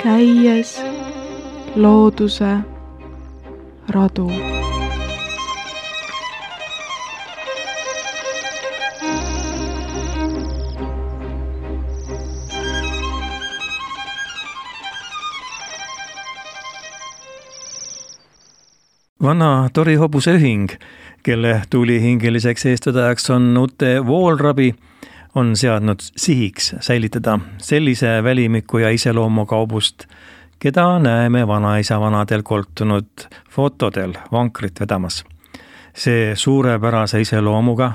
käies looduse radu. Vana Tori Hobuse ühing, kelle tulihingeliseks eestvedajaks on Ute Voolrabi, on seadnud sihiks säilitada sellise välimiku ja iseloomuga hobust, keda näeme vanaisa vanadel koltunud fotodel vankrit vedamas. See suurepärase iseloomuga,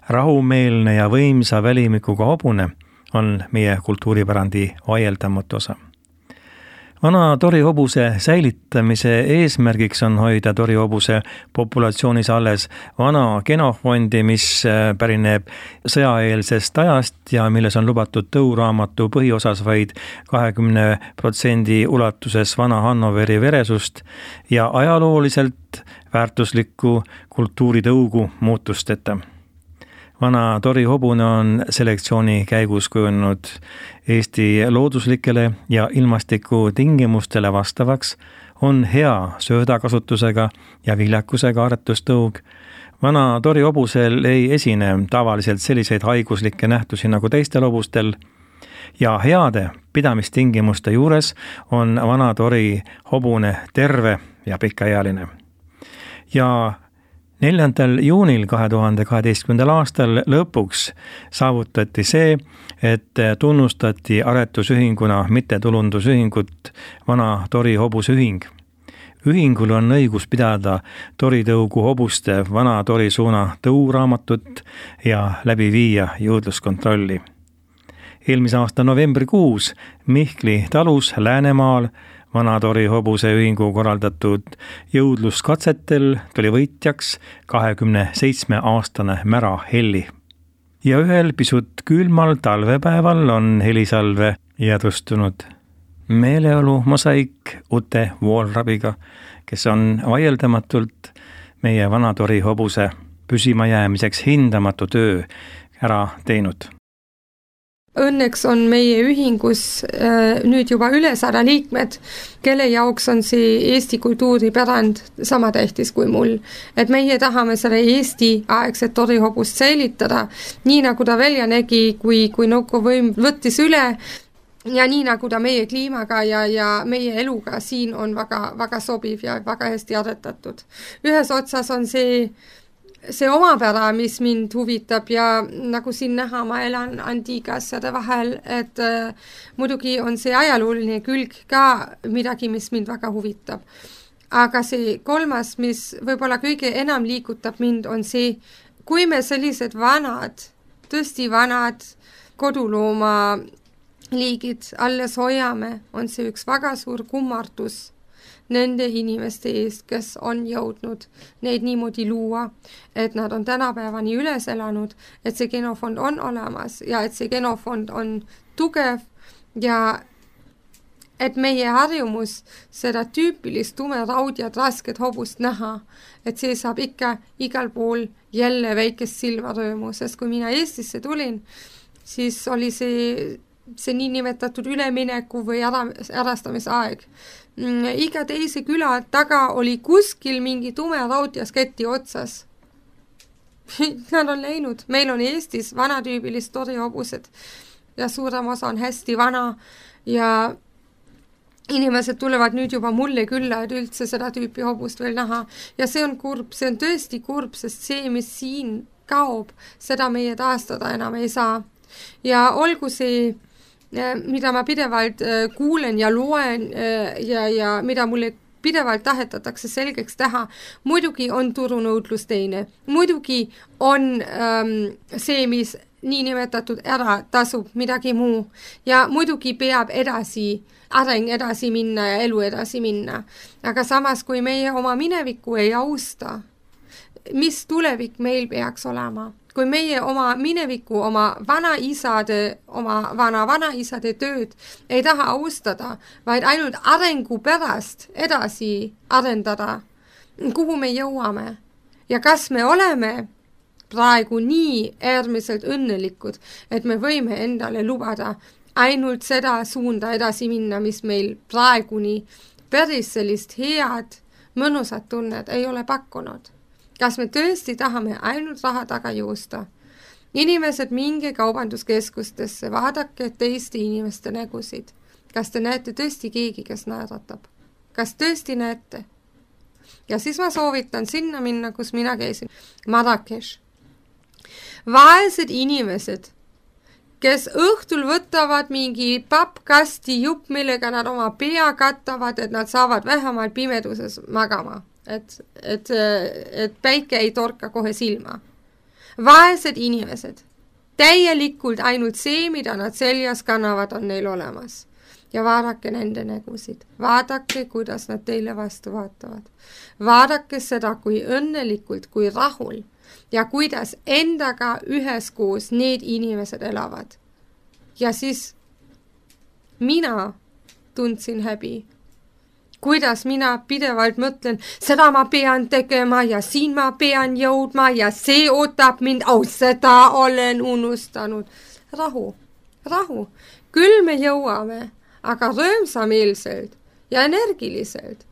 rahumeelne ja võimsa välimikuga hobune on meie kultuuripärandi vaieldamatu osa. Vana Tori hobuse säilitamise eesmärgiks on hoida Tori hobuse populatsioonis alles vana genofondi, mis pärineb sõjaeelsest ajast ja milles on lubatud tõuraamatu põhiosas vaid 20% ulatuses vana Hannoveri veresust ja ajalooliselt väärtuslikku kultuuritõugu muutusteta. Vana Tori hobune on selektsiooni käigus kujunenud Eesti looduslikele ja ilmastiku tingimustele vastavaks, on hea söödakasutusega ja viljakusega aretustõug. Vana Tori hobusel ei esine tavaliselt selliseid haiguslikke nähtusi nagu teistel hobustel ja heade pidamistingimuste juures on vana Tori hobune terve ja pikaealine. Ja 4. juunil 2012. aastal lõpuks saavutati see, et tunnustati aretusühinguna mittetulundusühingut Vana Tori Hobuse ühing. Ühingul on õigus pidada Tori tõugu hobuste Vana Tori suuna tõuraamatut ja läbi viia jõudluskontrolli. Eelmise aasta novembrikuus Mihkli talus Läänemaal Vana Tori Hobuse ühingu korraldatud jõudluskatsetel tuli võitjaks 27-aastane Mära Helli. Ja ühel pisut külmal talvepäeval on helisalve jäädvustunud meeleolu mosaik Ute Voolrabiga, kes on vaieldamatult meie Vana Tori Hobuse püsima jäämiseks hindamatu töö ära teinud. Õnneks on meie ühingus nüüd juba üle 100 liikmed, kelle jaoks on see Eesti kultuuripärand sama tähtis kui mul. Et meie tahame selle Eesti aegset Tori hobust säilitada, nii nagu ta välja nägi, kui nõukoguvõim võttis üle ja nii nagu ta meie kliimaga ja meie eluga siin on väga, väga sobiv ja väga hästi aretatud. Ühes otsas on see omapära, mis mind huvitab ja nagu siin näha, ma elan antiigasjade vahel, et muidugi on see ajalooline külg ka midagi, mis mind väga huvitab. Aga see kolmas, mis võib-olla kõige enam liigutab mind, on see, kui me sellised vanad, tõesti vanad kodulooma liigid alles hoiame, on see üks väga suur kummardus nende inimeste eest, kes on jõudnud neid niimoodi luua, et nad on tänapäevani üles elanud, et see genofond on olemas ja et see genofond on tugev ja et meie harjumus seda tüüpilist tumeraudjad rasket hobust näha, et see saab ikka igal pool jälle väikest silmarõõmu, sest kui mina Eestisse tulin, siis oli see niinimetatud ülemineku või ärastamisaeg. Iga teise küla taga oli kuskil mingi tumeraudjas keti otsas. Nad on läinud. Meil on Eestis vanatüübilist Tori hobused ja suurem osa on hästi vana ja inimesed tulevad nüüd juba mulle külla, et üldse seda tüüpi hobust veel näha. Ja see on kurb, see on tõesti kurb, sest see, mis siin kaob, seda meie taastada enam ei saa. Ja olgu see mida ma pidevalt kuulen ja loen ja mida mulle pidevalt tahetatakse selgeks teha. Muidugi on turunõudlus teine. Muidugi on see, mis niinimetatud ära tasub midagi muu. Ja muidugi peab areng edasi minna ja elu edasi minna. Aga samas, kui meie oma minevikku ei austa, mis tulevik meil peaks olema? Kui meie oma minevikku, oma vanaisade tööd ei taha austada, vaid ainult arengu pärast edasi arendada, kuhu me jõuame ja kas me oleme praegu nii äärmiselt õnnelikud, et me võime endale lubada ainult seda suunda edasi minna, mis meil praeguni päris sellist head, mõnusat tunnet ei ole pakkunud. Kas me tõesti tahame ainult raha taga joosta? Inimesed, minge kaubanduskeskustesse, vaadake teiste inimeste nägusid. Kas te näete tõesti keegi, kes naeratab? Kas tõesti näete? Ja siis ma soovitan sinna minna, kus mina käisin. Marrakech. Vaesed inimesed, kes õhtul võtavad mingi pappkasti jupp, millega nad oma pea kattavad, et nad saavad vähemalt pimeduses magama. Et päike ei torka kohe silma. Vaesed inimesed. Täielikult ainult see, mida nad seljas kannavad, on neil olemas. Ja vaadake nende nägusid. Vaadake, kuidas nad teile vastu vaatavad. Vaadake seda, kui õnnelikult, kui rahul ja kuidas endaga üheskoos need inimesed elavad. Ja siis mina tundsin häbi. Kuidas mina pidevalt mõtlen, seda ma pean tegema ja siin ma pean jõudma ja see ootab mind, seda olen unustanud. Rahu, rahu. Küll me jõuame, aga rõõmsameelselt ja energiliselt.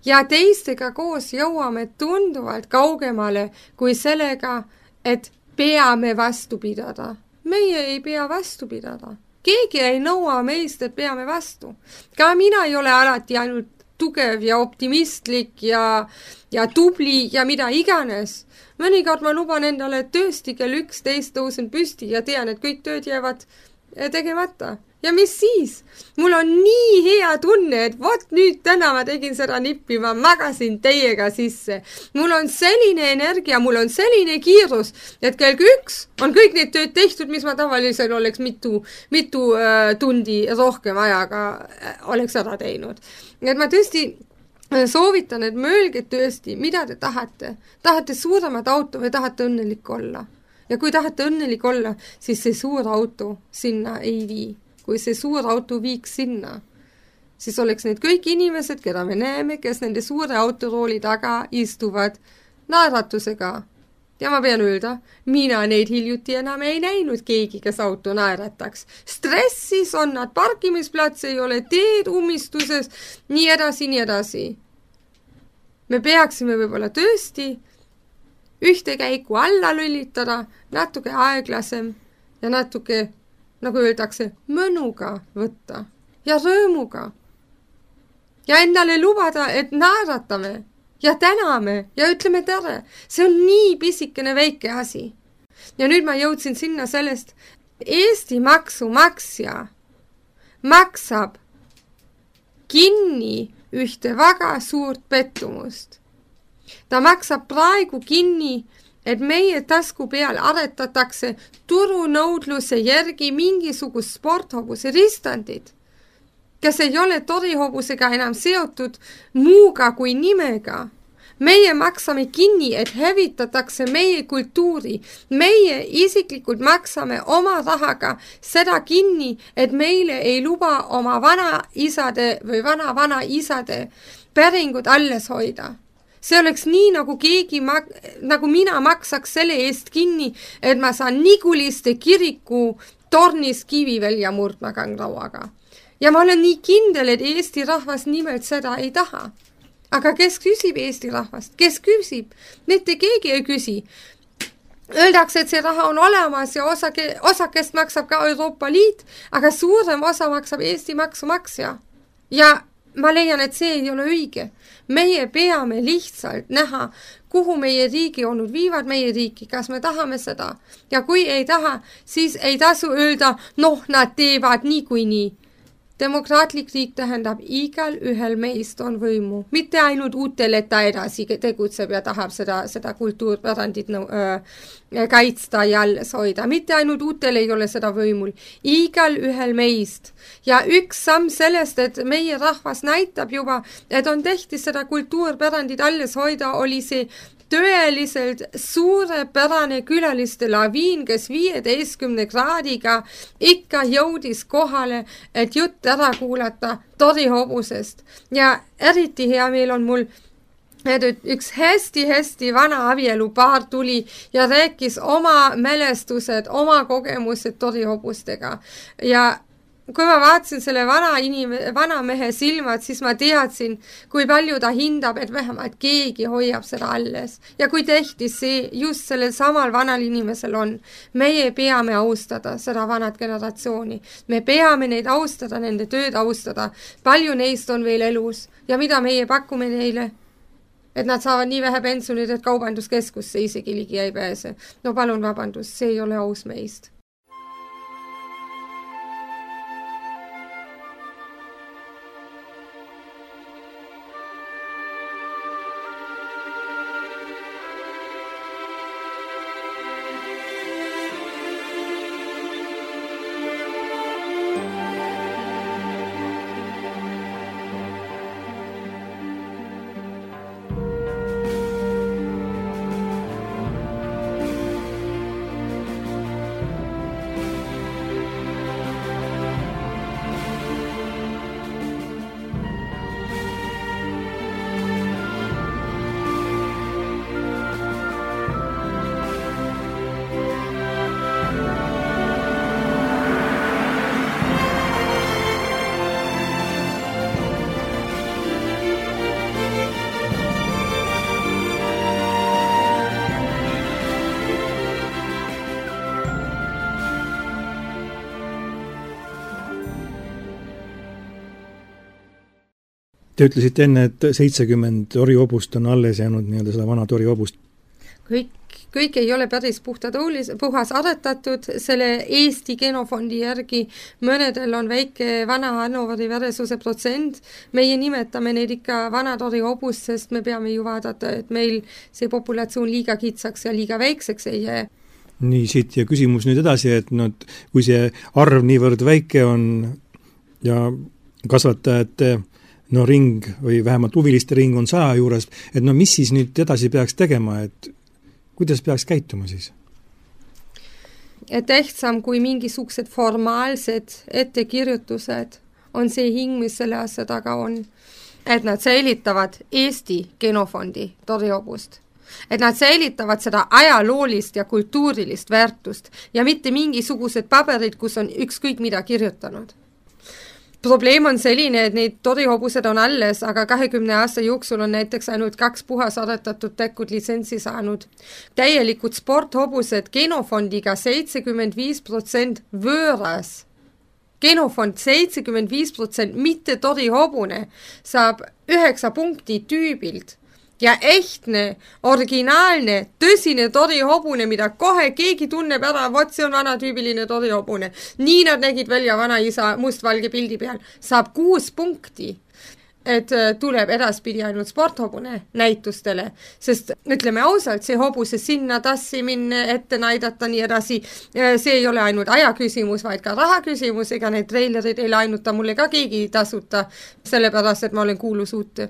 Ja teistega koos jõuame tunduvalt kaugemale kui sellega, et peame vastu pidada. Meie ei pea vastu pidada. Keegi ei nõua meist, et peame vastu. Ka mina ei ole alati ainult tugev ja optimistlik ja tubli ja mida iganes. Mõnikord ma luban endale tõesti kell 11 tõusen püsti ja tean, et kõik tööd jäävad tegemata. Ja mis siis? Mul on nii hea tunne, et vot nüüd täna ma tegin seda nippi, ma magasin teiega sisse. Mul on selline energia, mul on selline kiirus, et kell 1 on kõik need tööd tehtud, mis ma tavaliselt oleks mitu tundi rohkem ajaga oleks ära teinud. Et ma tõesti soovitan, et mõelge tõesti, mida te tahate. Tahate suuremat auto või tahate õnnelik olla? Ja kui tahate õnnelik olla, siis see suur auto sinna ei vii. Kui see suur auto viiks sinna, siis oleks need kõik inimesed, keda me näeme, kes nende suure autorooli taga istuvad naeratusega. Ja ma pean öelda, mina neid hiljuti enam ei näinud keegi, kes auto naerataks. Stressis on nad, parkimisplats ei ole, teed ummistuses, nii edasi. Me peaksime võib-olla tõesti ühte käiku alla lülitada, natuke aeglasem ja natuke, nagu öeldakse, mõnuga võtta ja rõõmuga. Ja endale lubada, et naeratame ja täname ja ütleme tere. See on nii pisikene väike asi. Ja nüüd ma jõudsin sinna sellest, Eesti maksumaksja maksab kinni ühte väga suurt pettumust. Ta maksab praegu kinni, et meie tasku peal aretatakse turunõudluse järgi mingisugust sporthobuse ristandid, kes ei ole torihobusega enam seotud muuga kui nimega. Meie maksame kinni, et hävitatakse meie kultuuri. Meie isiklikult maksame oma rahaga seda kinni, et meile ei luba oma vanaisade või vanaisade päringud alles hoida. See oleks nii, nagu mina maksaks selle eest kinni, et ma saan Niguliste kiriku tornis kivi välja murdma kangrauaga. Ja ma olen nii kindel, et Eesti rahvas nimelt seda ei taha. Aga kes küsib Eesti rahvast? Kes küsib? Mitte keegi ei küsi. Öeldakse, et see raha on olemas ja osakest maksab ka Euroopa Liit, aga suurem osa maksab Eesti maksumaksja. Ja ma leian, et see ei ole õige. Meie peame lihtsalt näha, kuhu meie riigi olnud viivad meie riiki, kas me tahame seda. Ja kui ei taha, siis ei tasu öelda, nad teevad niikuinii. Demokraatlik riik tähendab, igal ühel meist on võimu. Mitte ainult uutele, et ta edasi tegutseb ja tahab seda kultuurpärandit kaitsta ja alles hoida. Mitte ainult uutele ei ole seda võimul. Igal ühel meist. Ja üks samm sellest, et meie rahvas näitab juba, et on tehti seda kultuurpärandit alles hoida, oli see tõeliselt suurepärane külaliste laviin, kes 15 kraadiga ikka jõudis kohale, et jutt ära kuulata torihobusest. Ja eriti hea meel on mul, et üks hästi vana abielupaar tuli ja rääkis oma mälestused, oma kogemused torihobustega. Ja kui ma vaatasin selle vana mehe silmad, siis ma teadsin, kui palju ta hindab, et vähemalt keegi hoiab seda alles. Ja kui tähtis see just sellel samal vanal inimesel on, meie peame austada seda vanat generatsiooni. Me peame neid austada, nende tööd austada. Palju neist on veel elus ja mida meie pakume neile? Et nad saavad nii vähe pensionid, et kaubanduskeskusse isegi ligi ei pääse. No palun vabandust, see ei ole aus meist. Te ütlesite enne, et 70 torihobust on alles jäänud nii-öelda seda vana torihobust. Kõik ei ole päris puhas aretatud, selle Eesti genofondi järgi mõnedel on väike vana Hannoveri veresuse protsent. Meie nimetame neid ikka vana torihobust, sest me peame ju vaadata, et meil see populatsioon liiga kitsaks ja liiga väikseks ei jää. Nii, siit ja küsimus nüüd edasi, et kui see arv niivõrd väike on ja kasvatajate ring või vähemalt huviliste ring on 100 juurest, et mis siis nüüd edasi peaks tegema, et kuidas peaks käituma siis? Et tähtsam kui mingisugused formaalsed ettekirjutused on see hing, mis selle asja taga on. Et nad säilitavad Eesti genofondi torihobust. Et nad säilitavad seda ajaloolist ja kultuurilist väärtust ja mitte mingisugused paberid, kus on ükskõik mida kirjutanud. Probleem on selline, et neid torihobused on alles, aga 20 aasta jooksul on näiteks ainult 2 puhas aretatud tekkud litsentsi saanud. Täielikud sporthobused genofondiga 75% võõras. Genofond 75%, mitte torihobune, saab 9 punkti tüübilt. Ja ehtne, originaalne, tõsine torihobune, mida kohe keegi tunneb ära, vot see on vanatüübiline torihobune. Nii nad nägid välja vanaisa mustvalge pildi peal. Saab 6 punkti, et tuleb edaspidi ainult sporthobune näitustele. Sest ütleme ausalt, see hobuse sinna tassimine, ette näidata nii edasi, see ei ole ainult aja küsimus, vaid ka raha küsimus, ega need treilerid ei lainuta mulle ka keegi tasuta, sellepärast, et ma olen kuulus uut.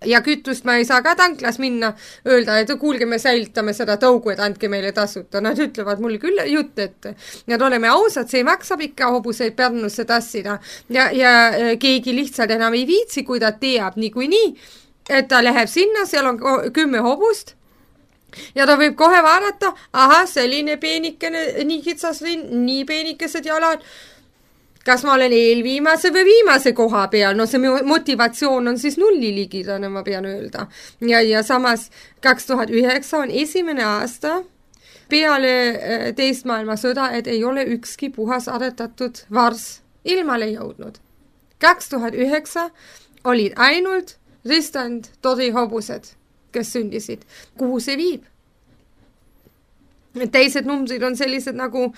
Ja kütust ma ei saa ka tanklas minna, öelda, et kuulge, me säilitame seda tõugu, et andke meile tasuta. Nad ütlevad mulle küll jutt, et nad oleme ausad, see maksab ikka hobuseid Pärnusse tassida. Ja keegi lihtsalt enam ei viitsi, kui ta teab niikuinii, et ta läheb sinna, seal on 10 hobust. Ja ta võib kohe vaadata, selline peenikene, nii kitsas rind, nii peenikesed jalad. Kas ma olen eelviimase või viimase koha peal? No see motivatsioon on siis nulli ligidane, ma pean öelda. Ja samas 2009 on esimene aasta peale teist maailmasõda, et ei ole ükski puhas aretatud vars ilmale jõudnud. 2009 olid ainult ristand torihobused, kes sündisid. Kuhu see viib? Teised numbrid on sellised, nagu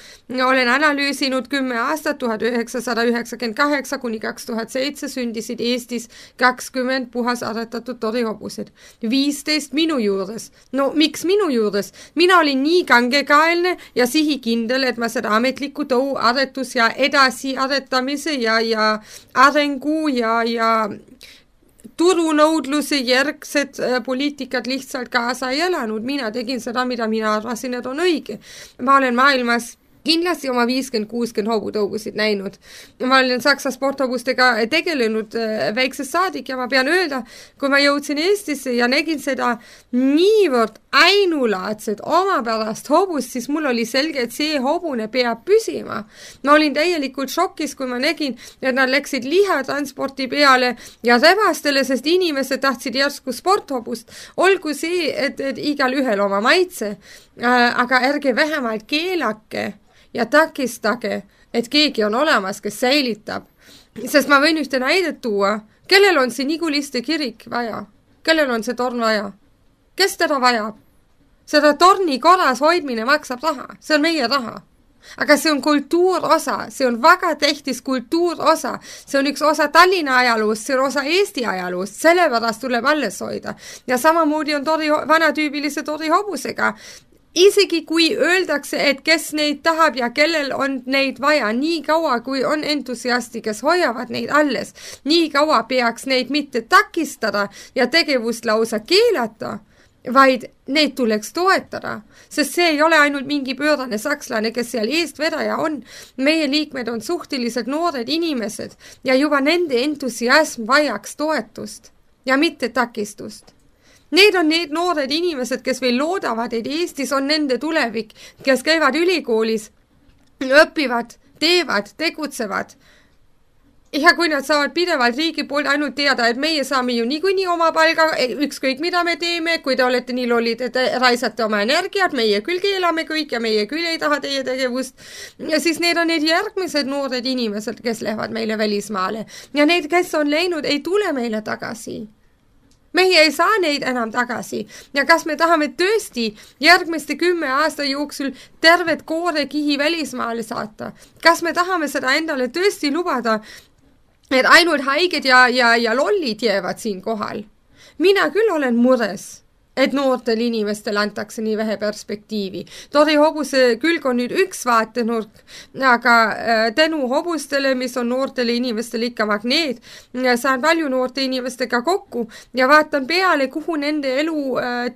olen analüüsinud 10 aastat, 1998 kuni 2007 sündisid Eestis 20 puhas aretatud torihobused. 15 minu juures. No miks minu juures? Mina olin nii kangekaelne ja sihikindel, et ma seda ametlikku tõu aretus ja edasi aretamise ja arengu ja turunõudluse järgsed poliitikad lihtsalt kaasa ei elanud. Mina tegin seda, mida mina arvasin, et on õige. Ma olen maailmas kindlasti oma 50-60 hobutõugusid näinud. Ma olen Saksa sporthobustega tegelenud väiksest saadik ja ma pean öelda, kui ma jõudsin Eestisse ja nägin seda niivõrd ainulaadset omapärast hobust, siis mul oli selge, et see hobune peab püsima. Ma olin täielikult šokis, kui ma nägin, et nad läksid lihatransporti peale ja rebastele, sest inimesed tahtsid järsku sporthobust. Olgu see, et igal ühel oma maitse, aga ärge vähemalt keelake ja takistage, et keegi on olemas, kes säilitab. Sest ma võin ühte näidet tuua. Kellel on see Niguliste kirik vaja? Kellel on see torn vaja? Kes teda vajab? Seda torni korras hoidmine maksab raha. See on meie raha. Aga see on kultuurosa. See on väga tähtis kultuurosa. See on üks osa Tallinna ajaloost, see on osa Eesti ajaloost. Sellepärast tuleb alles hoida. Ja samamoodi on vanatüübilise tori hobusega. Isegi kui öeldakse, et kes neid tahab ja kellel on neid vaja, nii kaua kui on entusiasti, kes hoiavad neid alles, nii kaua peaks neid mitte takistada ja tegevust lausa keelata, vaid neid tuleks toetada, sest see ei ole ainult mingi pöörane sakslane, kes seal eestvedaja on. Meie liikmed on suhteliselt noored inimesed ja juba nende entusiasm vajaks toetust ja mitte takistust. Need on need noored inimesed, kes veel loodavad, et Eestis on nende tulevik, kes käivad ülikoolis, õpivad, teevad, tegutsevad. Ja kui nad saavad pidevalt riigi poolt ainult teada, et meie saame ju niikuinii oma palga, ükskõik mida me teeme, kui te olete nii lollid, et raisate oma energiat, meie küll keelame kõik ja meie küll ei taha teie tegevust. Ja siis need on need järgmised noored inimesed, kes lähevad meile välismaale. Ja need, kes on läinud, ei tule meile tagasi. Meie ei saa neid enam tagasi ja kas me tahame tõesti järgmiste 10 aasta jooksul tervet koorekihi välismaale saata? Kas me tahame seda endale tõesti lubada, et ainult haiged ja lollid jäävad siin kohal? Mina küll olen mures, et noortel inimestel antakse nii vähe perspektiivi. Tori hobuse külg on nüüd üks vaatenurk, aga tänu hobustele, mis on noortele inimestele ikka magneet, saan palju noorte inimestega kokku ja vaatan peale, kuhu nende elu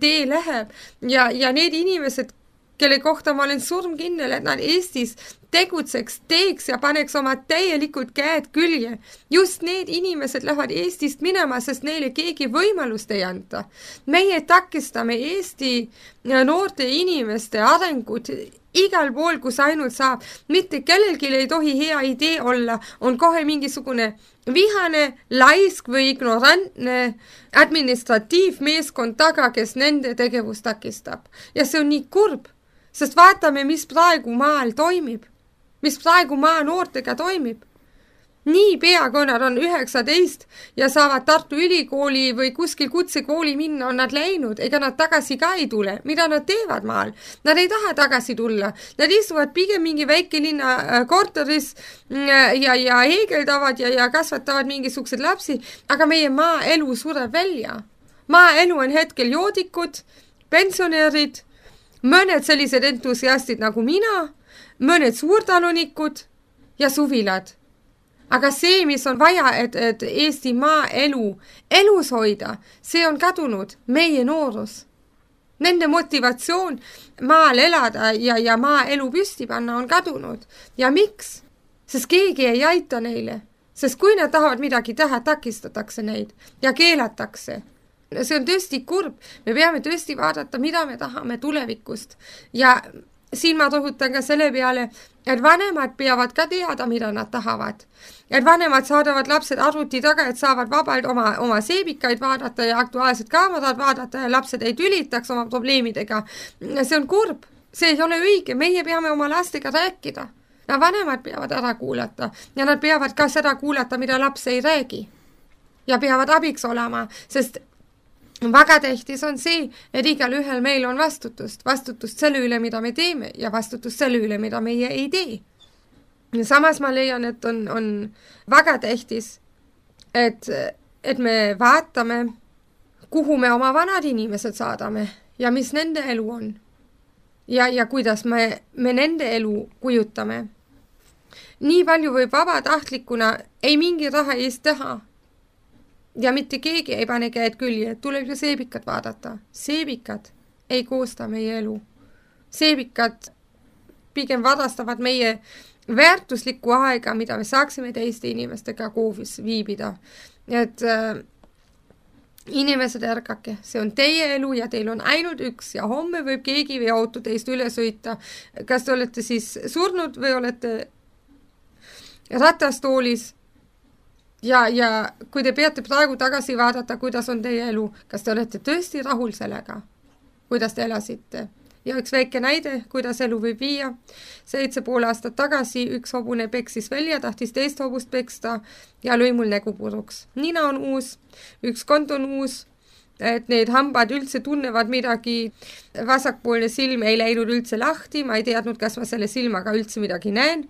tee läheb. Ja need inimesed, kelle kohta ma olen surmkindel, et nad Eestis tegutseks, teeks ja paneks oma täielikult käed külje. Just need inimesed lähevad Eestist minema, sest neile keegi võimalust ei anta. Meie takistame Eesti noorte inimeste arengut igal pool, kus ainult saab. Mitte kellelgi ei tohi hea idee olla, on kohe mingisugune vihane, laisk või ignorantne administratiivmeeskond taga, kes nende tegevust takistab. Ja see on nii kurb, sest vaatame, mis praegu maal toimib. Mis praegu maa noortega toimib. Nii pea, kui nad on 19 ja saavad Tartu ülikooli või kuskil kutsekooli minna, on nad läinud, ega nad tagasi ka ei tule. Mida nad teevad maal? Nad ei taha tagasi tulla. Nad istuvad pigem mingi väikelinna korteris ja heegeldavad ja kasvatavad mingisugused lapsi, aga meie maaelu sureb välja. Maaelu on hetkel joodikud, pensionärid, mõned sellised entusiastid nagu mina, mõned suurtalunikud ja suvilad. Aga see, mis on vaja, et Eesti maaelu elus hoida, see on kadunud, meie noorus. Nende motivatsioon maal elada ja maaelu püsti panna on kadunud. Ja miks? Sest keegi ei aita neile. Sest kui nad tahavad midagi teha, takistatakse neid ja keelatakse. See on tõesti kurb. Me peame tõesti vaadata, mida me tahame tulevikust. Ja siin ma rõhutan ka selle peale, et vanemad peavad ka teada, mida nad tahavad. Et vanemad saadavad lapsed arvuti taga, et saavad vabalt oma seebikaid vaadata ja aktuaalsed kaamerad vaadata ja lapsed ei tülitaks oma probleemidega. See on kurb. See ei ole õige. Meie peame oma lastega rääkida. Ja vanemad peavad ära kuulata ja nad peavad ka seda kuulata, mida laps ei räägi. Ja peavad abiks olema, sest väga tähtis on see, et igal ühel meil on vastutust. Vastutust selle üle, mida me teeme ja vastutust selle üle, mida meie ei tee. Ja samas ma leian, et on väga tähtis, et me vaatame, kuhu me oma vanad inimesed saadame ja mis nende elu on. Ja kuidas me nende elu kujutame. Nii palju võib vabatahtlikuna ei mingi raha eest teha. Ja mitte keegi ei pane käed külje, tuleb ju seebikad vaadata. Seebikad ei koosta meie elu. Seebikad pigem varastavad meie väärtuslikku aega, mida me saaksime teiste inimestega koovis viibida. Et inimesed, ärgake, see on teie elu ja teil on ainult üks ja homme võib keegi või auto teist üle sõita. Kas te olete siis surnud või olete ratastoolis ja kui te peate praegu tagasi vaadata, kuidas on teie elu, kas te olete tõesti rahul sellega, kuidas te elasite? Ja üks väike näide, kuidas elu võib viia. 7,5 aastat tagasi üks hobune peksis välja, tahtis teist hobust peksta ja lõi mul nägu puruks. Nina on uus, üks kond on uus, et need hambad üldse tunnevad midagi. Vasakpoolne silm ei läinud üldse lahti, ma ei teadnud, kas ma selle silmaga üldse midagi näen.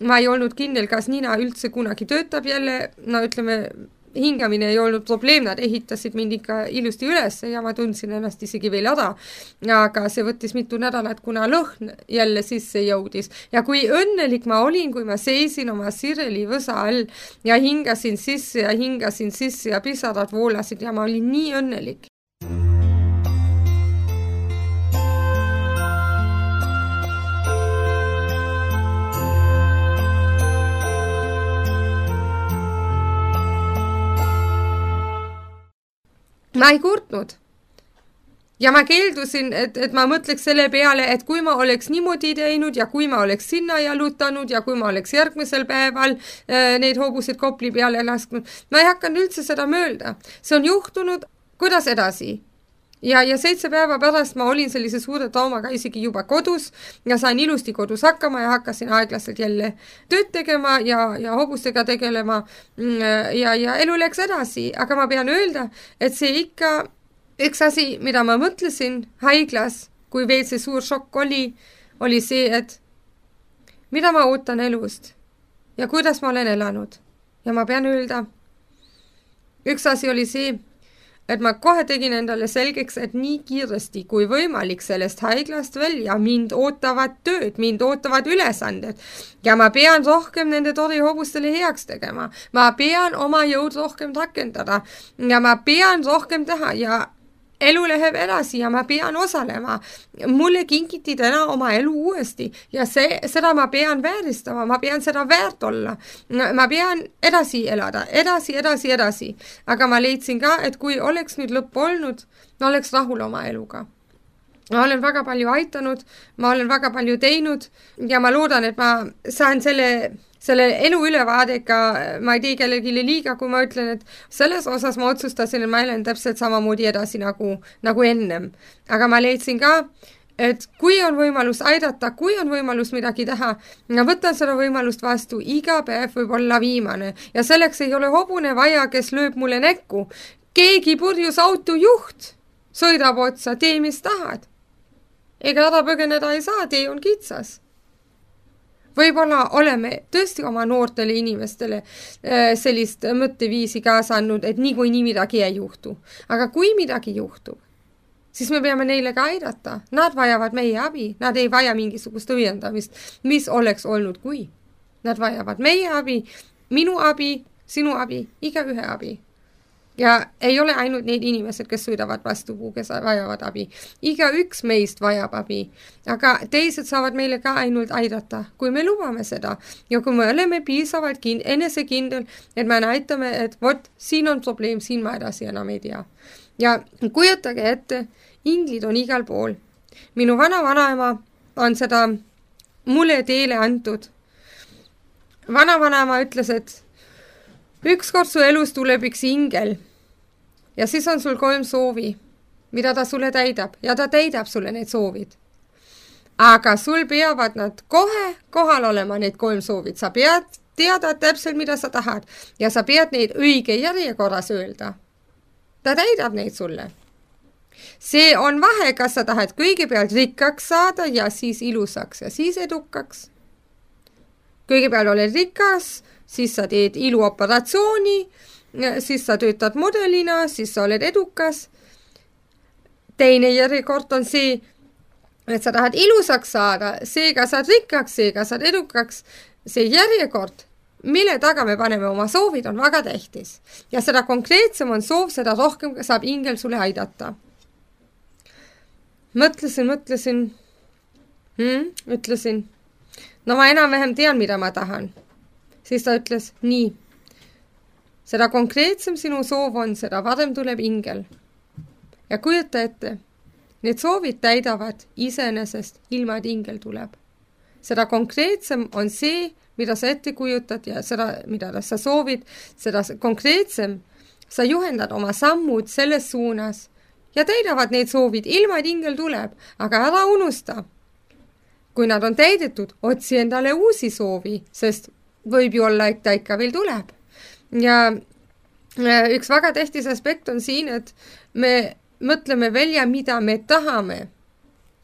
Ma ei olnud kindel, kas Nina üldse kunagi töötab jälle, no ütleme, hingamine ei olnud probleem, nad ehitasid mind ikka ilusti üles ja ma tundsin ennast isegi veel ära, aga see võttis mitu nädalat, kuna lõhn jälle sisse jõudis. Ja kui õnnelik ma olin, kui ma seisin oma Sireli võsa all ja hingasin sisse ja pisarad voolasid ja ma olin nii õnnelik. Ma ei kurtnud. Ja ma keeldusin, et ma mõtleks selle peale, et kui ma oleks niimoodi teinud ja kui ma oleks sinna jalutanud ja kui ma oleks järgmisel päeval neid hobused Kopli peale lasknud, ma ei hakanud üldse seda möölda. See on juhtunud, kuidas edasi. Ja 7 päeva pärast ma olin sellise suure traumaga isegi juba kodus ja sain ilusti kodus hakkama ja hakkasin aeglaselt jälle tööd tegema ja hobustega tegelema ja elu läks edasi. Aga ma pean öelda, et see ikka üks asi, mida ma mõtlesin haiglas, kui veel see suur šokk oli see, et mida ma ootan elust ja kuidas ma olen elanud. Ja ma pean öelda, üks asi oli see, et ma kohe tegin endale selgeks, et nii kiiresti kui võimalik sellest haiglast välja mind ootavad tööd, mind ootavad ülesanded ja ma pean rohkem nende torihobustele heaks tegema. Ma pean oma jõud rohkem rakendada ja ma pean rohkem teha ja elu läheb edasi ja ma pean osalema. Mulle kinkiti täna oma elu uuesti ja seda ma pean vääristama, ma pean seda väärt olla. Ma pean edasi elada, edasi. Aga ma leidsin ka, et kui oleks nüüd lõpp olnud, ma oleks rahul oma eluga. Ma olen väga palju aitanud, ma olen väga palju teinud ja ma loodan, et ma saan selle elu ülevaadega, ma ei tee kellelegi liiga, kui ma ütlen, et selles osas ma otsustasin, et ma elan täpselt samamoodi edasi nagu ennem. Aga ma leidsin ka, et kui on võimalus aidata, kui on võimalus midagi teha, ma võtan seda võimalust vastu, iga päev võib olla viimane. Ja selleks ei ole hobune vaja, kes lööb mulle näkku. Keegi purjus autojuht sõidab otsa, tee mis tahad. Ega ära põgeneda ei saa, tee on kitsas. Võib-olla oleme tõesti oma noortele inimestele sellist mõtteviisi kaasa andnud, et nii midagi ei juhtu. Aga kui midagi juhtub, siis me peame neile ka aidata. Nad vajavad meie abi, nad ei vaja mingisugust õiendamist, mis oleks olnud kui. Nad vajavad meie abi, minu abi, sinu abi, igaühe abi. Ja ei ole ainult need inimesed, kes sõidavad vastu, kes vajavad abi. Iga üks meist vajab abi, aga teised saavad meile ka ainult aidata, kui me lubame seda. Ja kui me oleme piisavalt enesekindel, et me näitame, et vot, siin on probleem, siin ma edasi enam ei tea. Ja kujutage ette, inglid on igal pool. Minu vanaema on seda mulle teele antud. Vanaema ütles, et ükskord su elus tuleb üks ingel. Ja siis on sul 3 soovi, mida ta sulle täidab ja ta täidab sulle need soovid. Aga sul peavad nad kohe kohal olema need 3 soovid. Sa pead teada täpselt, mida sa tahad ja sa pead neid õige järjekorras öelda. Ta täidab neid sulle. See on vahe, kas sa tahad kõigepealt rikkaks saada ja siis ilusaks ja siis edukaks. Kõigepealt oled rikas, siis sa teed iluoperatsiooni, siis sa töötad modelina, siis sa oled edukas. Teine järjekord on see, et sa tahad ilusaks saada, seega saad rikkaks, seega saad edukaks. See järjekord, mille taga me paneme oma soovid, on väga tähtis. Ja seda konkreetsem on soov, seda rohkem saab ingel sulle aidata. Mõtlesin. Ütlesin. No ma enam-vähem tean, mida ma tahan. Siis ta ütles, nii. seda konkreetsem sinu soov on, seda varem tuleb ingel. Ja kujuta ette, need soovid täidavad iseenesest ilma, et ingel tuleb. Seda konkreetsem on see, mida sa ette kujutad ja seda, mida sa soovid, seda konkreetsem sa juhendad oma sammud selles suunas ja täidavad need soovid ilma, et ingel tuleb, aga ära unusta. Kui nad on täidetud, otsi endale uusi soovi, sest võib ju olla, et ta ikka veel tuleb. Ja üks väga tähtis aspekt on siin, et me mõtleme välja, mida me tahame.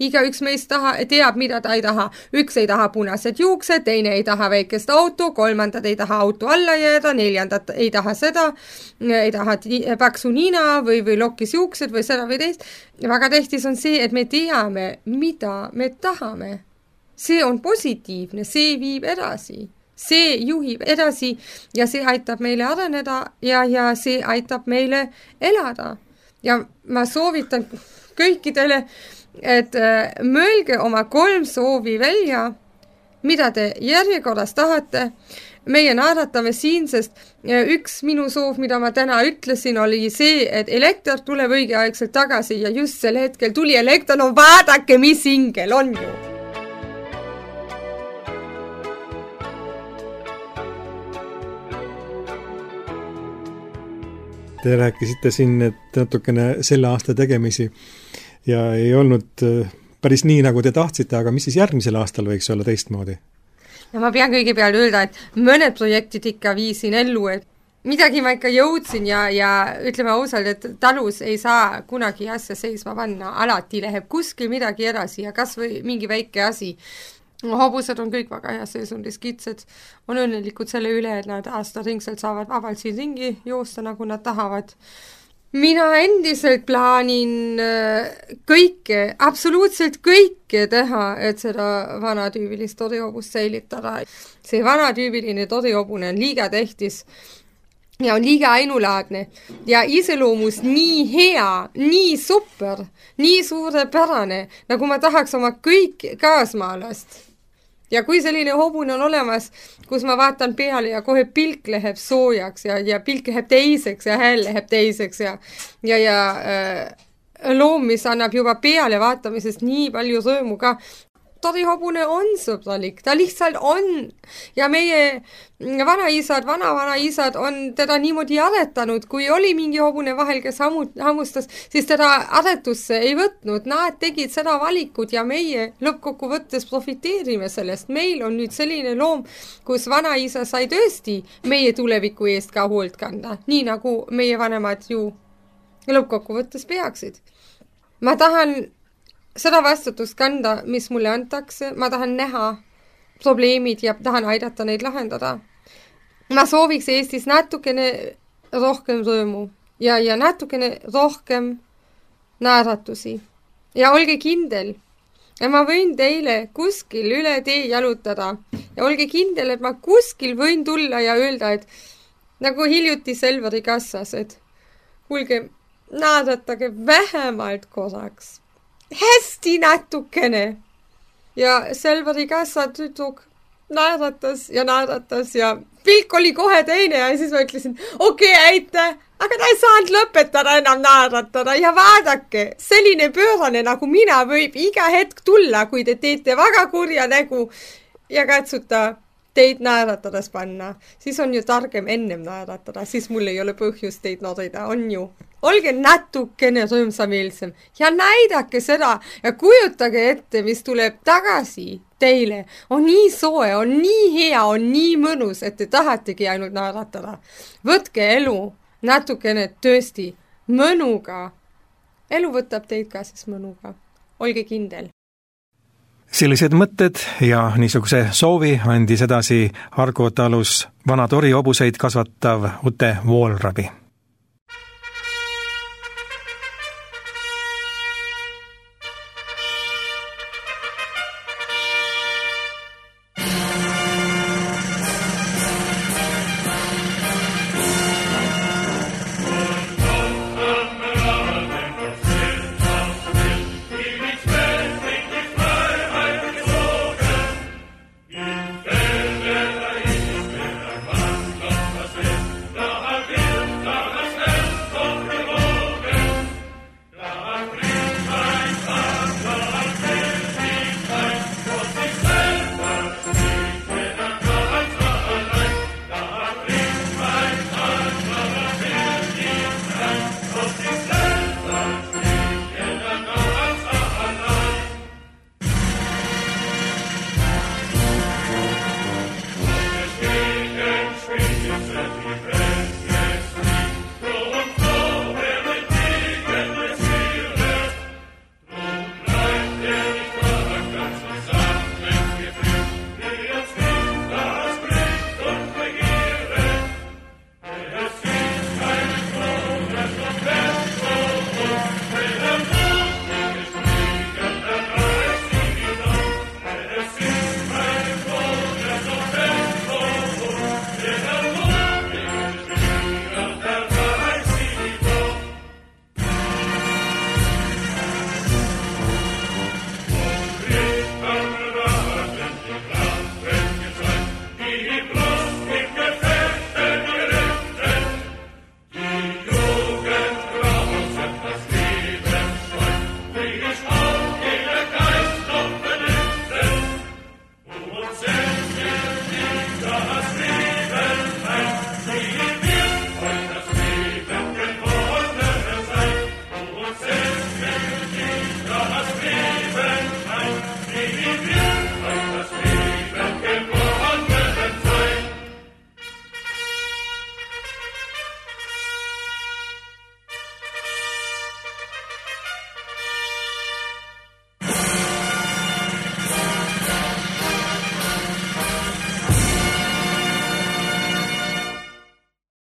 Igaüks meist teab, mida ta ei taha. Üks ei taha punased juuksed, teine ei taha väikest auto, kolmandad ei taha auto alla jääda, neljandad ei taha seda, ei taha paksu nina või lokkis juuksed või seda või teist. Väga tähtis on see, et me teame, mida me tahame. See on positiivne, see viib edasi. See juhib edasi ja see aitab meile areneda ja see aitab meile elada. Ja ma soovitan kõikidele, et mõelge oma 3 soovi välja, mida te järjekorras tahate. Meie naeratame siin, sest üks minu soov, mida ma täna ütlesin, oli see, et elekter tuleb õigeaegselt tagasi ja just sel hetkel tuli elekter, no vaadake, mis ingel on ju. Te rääkisite siin, et natukene selle aasta tegemisi ja ei olnud päris nii, nagu te tahtsite, aga mis siis järgmisel aastal võiks olla teistmoodi? Ja ma pean kõigepealt öelda, et mõned projektid ikka viisin ellu, et midagi ma ikka jõudsin ja ütleme ausalt, et talus ei saa kunagi asja seisma panna, alati läheb kuskil midagi edasi ja kas või mingi väike asi. Hobused on kõik väga hea seisundis, kitsed on õnnelikud selle üle, et nad aastaringselt saavad vabalt siin ringi joosta, nagu nad tahavad. Mina endiselt plaanin kõike, absoluutselt kõike teha, et seda vanatüübilist torihobust säilitada. See vanatüübiline torihobune on liiga tähtis ja on liiga ainulaadne ja iseloomus nii hea, nii super, nii suurepärane, nagu ma tahaks oma kõik kaasmaalast. Ja kui selline hobune on olemas, kus ma vaatan peale ja kohe pilk läheb soojaks ja pilk läheb teiseks ja hääl läheb teiseks ja loom, mis annab juba peale vaatamisest nii palju rõõmu ka. Torihobune on sõbralik, ta lihtsalt on. Ja meie vanaisad, vanavanaisad on teda niimoodi aretanud, kui oli mingi hobune vahel, kes hammustas, siis teda aretusse ei võtnud. Nad tegid seda valikut ja meie lõppkokkuvõttes profiteerime sellest. Meil on nüüd selline loom, kus vanaisa sai tõesti meie tuleviku eest ka hoolt kanda, nii nagu meie vanemad ju lõppkokkuvõttes peaksid. Ma tahan seda vastutust kanda, mis mulle antakse, ma tahan näha probleemid ja tahan aidata neid lahendada. Ma sooviks Eestis natukene rohkem rõõmu ja natukene rohkem naeratusi. Ja olge kindel, ja ma võin teile kuskil üle tee jalutada ja olge kindel, et ma kuskil võin tulla ja öelda, et nagu hiljuti Selveri kassas, et kuulge, naeratage vähemalt korraks. Hästi natukene. Ja Selveri kassa tüdruk naeratas ja pilk oli kohe teine ja siis ma ütlesin, okei, aitäh, aga ta ei saanud lõpetada enam naeratada ja vaadake, selline pöörane nagu mina võib iga hetk tulla, kui te teete väga kurja nägu ja katsuta teid naeratades panna. Siis on ju targem ennem naeratada, siis mul ei ole põhjust teid norida, on ju. Olge natukene rõõmsameelsem ja näidake seda ja kujutage ette, mis tuleb tagasi teile. On nii soe, on nii hea, on nii mõnus, et te tahategi ainult naeratada. Võtke elu natukene tõesti mõnuga. Elu võtab teid ka siis mõnuga. Olge kindel. Sellised mõtted ja niisuguse soovi andis edasi Argo talus vana torihobuseid kasvatav Ute Voolrabi.